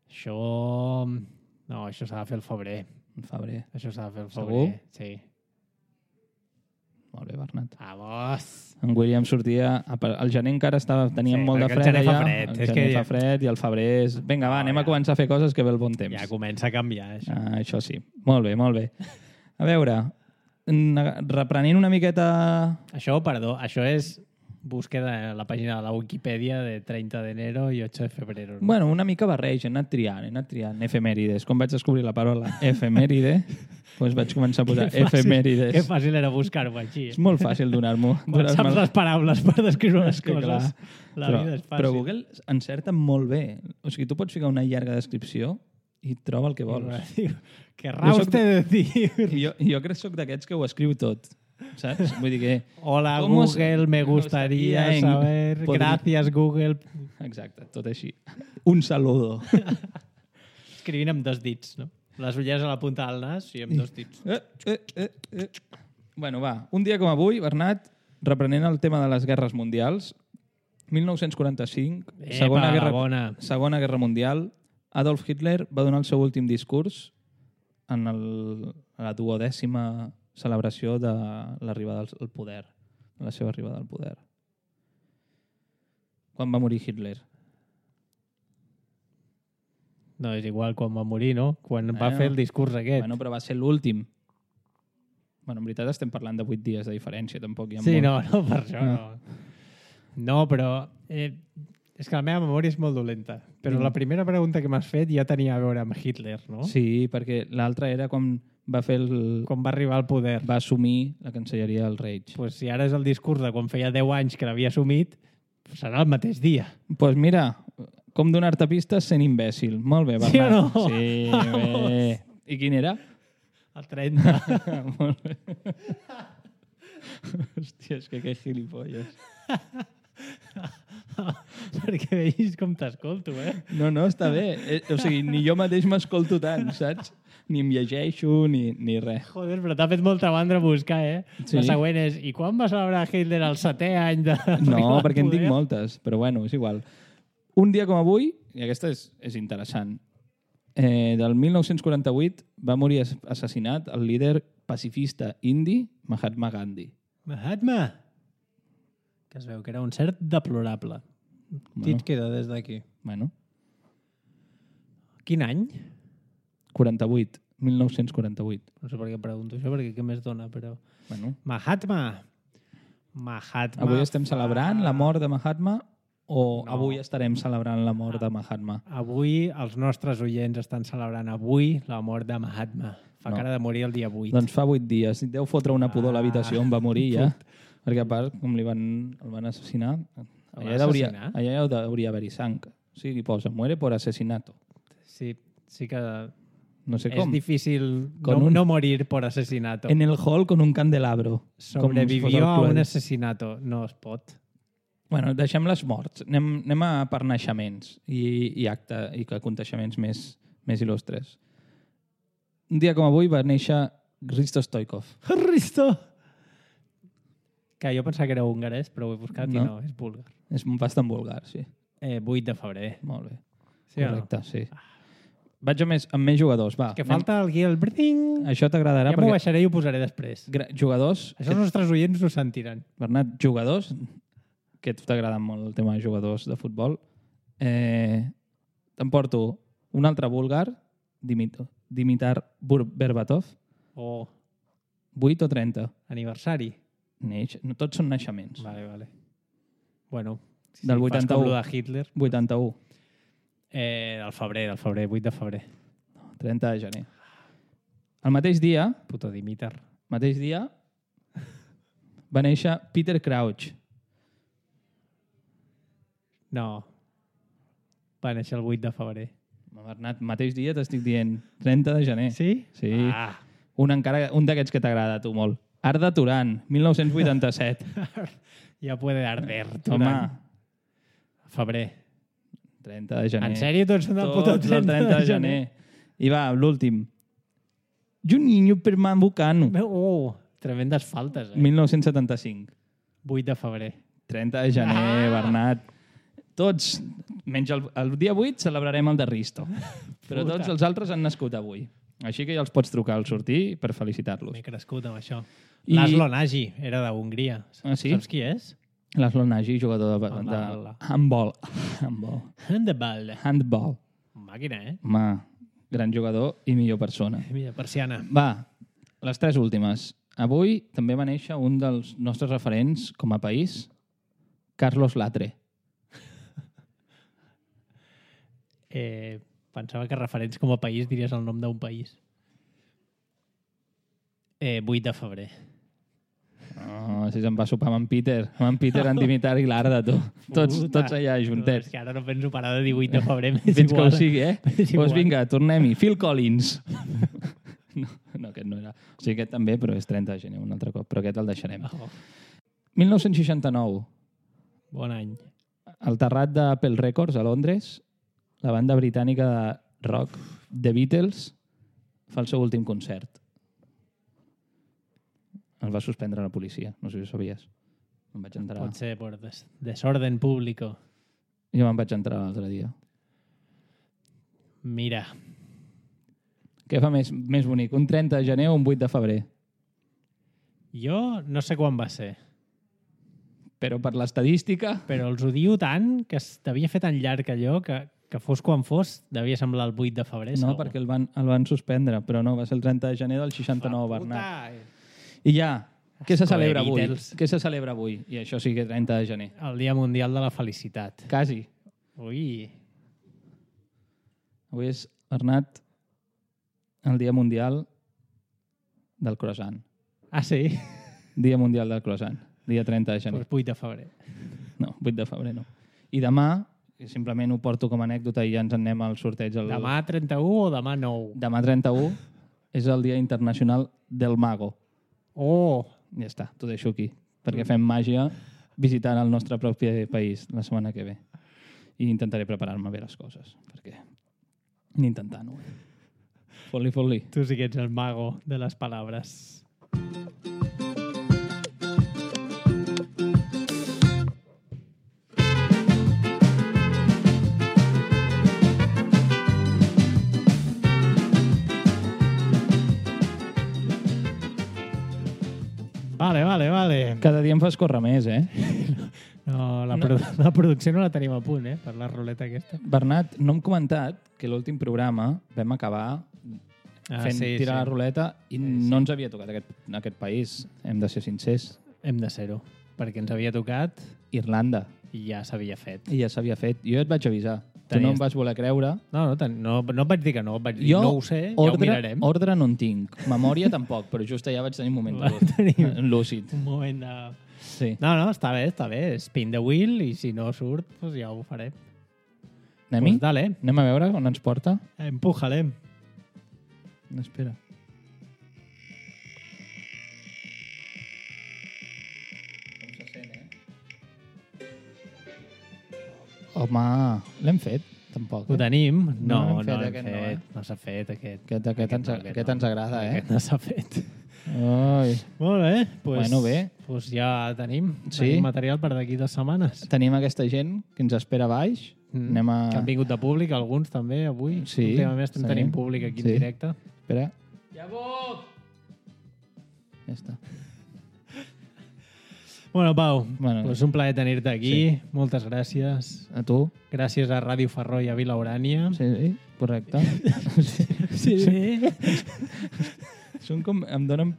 Això... No, això s'ha de fer el febrer. En febrer. Això s'ha de fer el Segur? febrer. Sí. Molt bé, Bernat. Vamos! En William sortia... Al gener encara estava, teníem Sí, molt de perquè el fred gener fa allà. fred. El És gener que fa ja- fred i el febrer és... Vinga, va, No, anem ja. a començar a fer coses que ve el bon temps. Ja comença a canviar, això. Ah, això sí. Molt bé, molt bé. A veure, n- reprenent una miqueta... Això, perdó, això és búsqueda a la pàgina de la Wikipedia de treinta de enero i ocho de febrero. No? Bueno, una mica barreig, he anat triant, he anat triant efemèrides. Quan vaig descobrir la paraula efemèride, doncs vaig començar a posar Que fàcil- efemèrides. Que fàcil era buscar-ho així. És molt fàcil donar-m'ho. Quan saps donar-me- les paraules per descriure les És que, clar, coses, la però, vida és fàcil. però Google encerta molt bé. O sigui, tu pots ficar una llarga descripció i troba el que vols. Diu, querrà Jo soc usted decir... I jo, jo crec que sóc d'aquests que ho escriu tot. saps? Vull dir que... Hola, ¿Cómo Google, se- me gustaría gustaría en- saber... podria- Gracias, Google. Exacte, tot així. Un saludo. Escrivint amb dos dits, no? Les ulleres a la punta del nas i amb dos dits. Eh, eh, eh, eh. Bueno, va. Un dia com avui, Bernat, reprenent el tema de les guerres mundials, mil nou-cents quaranta-cinc, Epa, segona, la guerra, bona. segona Guerra Mundial, Adolf Hitler va donar el seu últim discurs en el, a la duodècima celebració de l'arribada al al poder, de la seva arribada al poder. Quan va morir Hitler? No, és igual quan va morir, no? Quan va Bueno. fer el discurs aquest. Bueno, però va ser l'últim. Bueno, en veritat estem parlant de vuit dies de diferència, tampoc hi ha Sí, molt. no, no, per això No. no. No, però... Eh, és que la meva memòria és molt dolenta. Però Mm. la primera pregunta que m'has fet ja tenia a veure amb Hitler, no? Sí, perquè l'altra era com va fer el... Quan va arribar al poder. va assumir la cancelleria del Reich. Pues si ara és el discurs de quan feia deu anys que l'havia assumit, serà el mateix dia. Doncs pues mira, com donar-te pistes sent imbècil. Molt bé, Bernat. Sí o no? Sí, bé. I quin era? El trenta. Molt bé. Hòstia, és que que gilipolles. Perquè veus com t'escolto, eh? No, no, està bé. Eh, O sigui, ni jo mateix m'escolto tant, saps? Ni em llegeixo, ni, ni res. Joder, però t'ha fet molta mandra buscar, eh? Sí. La següent és, i quan va celebrar Hitler el setè any de... No, perquè en poder? tinc moltes, però bueno, és igual. Un dia com avui, i aquesta és, és interessant, eh, del mil nou-cents quaranta-vuit va morir ass- assassinat el líder pacifista indi Mahatma Gandhi. Mahatma! Que es veu que era un cert deplorable. Qui et queda des d'aquí? Bueno, Quin any? quaranta-vuit, mil nou-cents quaranta-vuit. No sé per què pregunto això, perquè què més dona, però... Bueno, Mahatma! Mahatma... avui estem fa- celebrant la mort de Mahatma o No. avui estarem celebrant la mort de Mahatma? Avui els nostres oients estan celebrant avui la mort de Mahatma. Fa No. cara de morir el dia vuit. Doncs fa vuit dies. Deu fotre una pudor a l'habitació on va morir ja. Put. Perquè a part, com li van, el van assassinar, van allà, hauria, assassinar? allà ja hauria haver-hi sang. O sigui, posa, muere por asesinato. Sí, sí que No sé és com. difícil Con no, un- no morir por asesinato. En el hall con un candelabro. Com si fos Sobrevivió el a un Cluedo. asesinato. No es pot. Bueno, deixem les morts. Anem, anem a per naixements i, i acte i aconteixements més, més il·lustres. Un dia com avui va néixer Hristo Stoikov. Risto! Que jo pensava que era húngares, però ho he buscat No. i no, és búlgar. És bastant vulgar, sí. Eh, vuit de febrer. Molt bé. Sí o no? Correcte, sí. Vaig amb més, amb més jugadors, va. Que falta el guió, el bring. Això t'agradarà Ja m'ho perquè baixaré i ho posaré després. gra- jugadors, Això els nostres oients ho sentiran. Bernat, jugadors, que a tu t'agrada molt el tema de jugadors de futbol, eh, t'emporto un altre búlgar, Dimit- Dimitar Bur- Berbatov, O vuit o trenta. aniversari. Neix, no, tots són naixements. Vale, vale. Bueno, si Del fas vuitanta-u. com lo de Hitler. vuitanta-u. Eh, del febrer, del febrer, vuit de febrer. trenta de gener. El mateix dia, Puto Dimitar. mateix dia, va néixer Peter Crouch. No. Va néixer el vuit de febrer. Bernat, mateix dia t'estic dient trenta de gener. Sí? Sí. Ah. Un, encara, un d'aquests que t'agrada a tu molt. Arda Turan, mil nou-cents vuitanta-set. Ja puede arder. Home, Turan. Febrer. trenta de gener. En sèrio, tots són del puto Tots el trenta de gener. I va, l'últim. Juninho Pernambucano, Oh, tremendes faltes, eh? mil nou-cents setanta-cinc. vuit de febrer. trenta de gener, Ah! Bernat. Tots, menys el, el dia vuit, celebrarem el de Risto. Però Puta. tots els altres han nascut avui. Així que ja els pots trucar al sortir per felicitar-los. M'he crescut amb això. I- Laszlo Nagy, era de Hongria. Ah, sí? Saps qui és? Laszlo Nagy, jugador de, Home, de hola. handball. handball. Handball. Handball. Màquina, eh? Home, gran jugador i millor persona. Mira, persiana. Va, les tres últimes. Avui també va néixer un dels nostres referents com a país, Carlos Latre. Eh, pensava que referents com a país diries el nom d'un país. Eh, vuit de febrer. Oh, si se'n va sopar amb en Peter. Amb en Peter, en Dimitar i l'Arda, tu. Tots, Puta. tots allà No, juntets. és que ara no penso parar de dir vuit de febrer. m'és Fins que ho igual. sigui, eh? És Doncs igual. vinga, tornem-hi. Phil Collins. No, no, aquest no era. O sigui, aquest també, però és trenta de gener un altre cop, però aquest el deixarem. Oh, mil nou-cents seixanta-nou, bon any. al terrat d'Apple Records a Londres, la banda britànica de rock The Beatles fa el seu últim concert. El va suspendre la policia, no sé si ho sabies. Em vaig entrar. Pot ser per des desorden público. Jo me'n vaig entrar l'altre dia. Mira, Què fa més, més bonic, un trenta de gener o un vuit de febrer? jo no sé quan va ser, Però per l'estadística... però els odio tant que es devia fer tan llarg allò que, que fos quan fos, devia semblar el vuit de febrer. No, segur. perquè el van, el van suspendre, però no, va ser el trenta de gener del seixanta-nou, Ah, Bernat. puta! I ja, què se Escoe celebra avui? Beatles. Què se celebra avui? I això sí que trenta de gener. El Dia Mundial de la Felicitat. Quasi. Ui, Avui és, Bernat, el Dia Mundial del Croissant. ah sí? Dia Mundial del Croissant. Dia trenta de gener. Pues vuit de febrer. No, vuit de febrer no. I demà, simplement ho porto com a anècdota i ja ens en anem al sorteig. El... Demà trenta-u o demà nou? Demà trenta-u és el Dia Internacional del Mago. Oh, Ja està, t'ho deixo aquí. Perquè fem màgia visitant el nostre propi país la setmana que ve. I intentaré preparar-me bé les coses. Perquè ni intentant-ho. Fot-li, fot-li. tu sí que ets el mago de les paraules. Vale, vale, vale. Cada dia em fas córrer més, eh? No, la, produ la producció no la tenim a punt, eh? Per la ruleta aquesta. Bernat, no hem comentat que l'últim programa vam acabar Ah, fent sí, tirar sí. la ruleta i sí. no ens havia tocat aquest, aquest país. Hem de ser sincers. Hem de ser-ho. Perquè ens havia tocat Irlanda. i ja s'havia fet. I ja s'havia fet. Jo et vaig avisar. Tu Tenies- no em vas voler creure. No, no, ten- no, no et vaig dir que no. Et vaig dir, Jo no ho sé, ja ho ordre, mirarem. ordre no en tinc. Memòria tampoc, però just allà vaig tenir un moment Va tenir- lúcid. Un moment de... Sí. No, no, està bé, està bé. Spin the wheel i si no surt, pues ja ho faré. Anem-hi? Pues dale, Anem a veure on ens porta? empújale. Espera. Home, l'hem fet, tampoc. Ho Eh? tenim? No No, l'hem no fet, l'hem aquest fet. no, eh? No s'ha fet, aquest. Aquest, aquest, ens, no, aquest no. ens agrada, eh? Aquest no s'ha fet. Ui. Molt bé. Pues, Bueno, bé. Pues ja tenim, Sí? tenim material per d'aquí dues setmanes. Tenim aquesta gent que ens espera a baix. Mm. Anem a... Que han vingut de públic, alguns també, avui. Sí, Últimament estem sí. tenint públic aquí Sí. en directe. Espera. Ja puc! Ja està. Bueno, Pau, Bueno. pues un plaer tenir-te aquí. Moltes gràcies. A tu? Gràcies a Ràdio Ferró i a Vila Urània. Sí, sí, correcte. Sí, sí. Són com... Em donen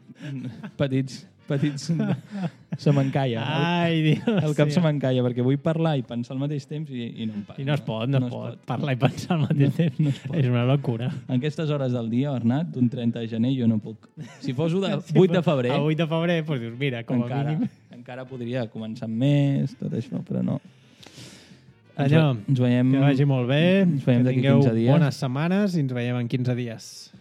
petits... petits... Se m'encalla. El, Ai, Dios. el cap sí. se m'encalla perquè vull parlar i pensar al mateix temps i, i no em passa. I no es pot, no, es pot. Parlar i pensar al mateix temps. no es pot. És una locura. En aquestes hores del dia, Bernat, d'un trenta de gener, jo no puc. Si fos un de vuit de febrer, A vuit de febrer, doncs dius, mira, com a encara, mínim... encara podria començar amb més, tot això, però no. Allò, ens veiem... que vagi molt bé, Ens veiem que d'aquí tingueu quinze dies. bones setmanes i ens veiem en quinze dies.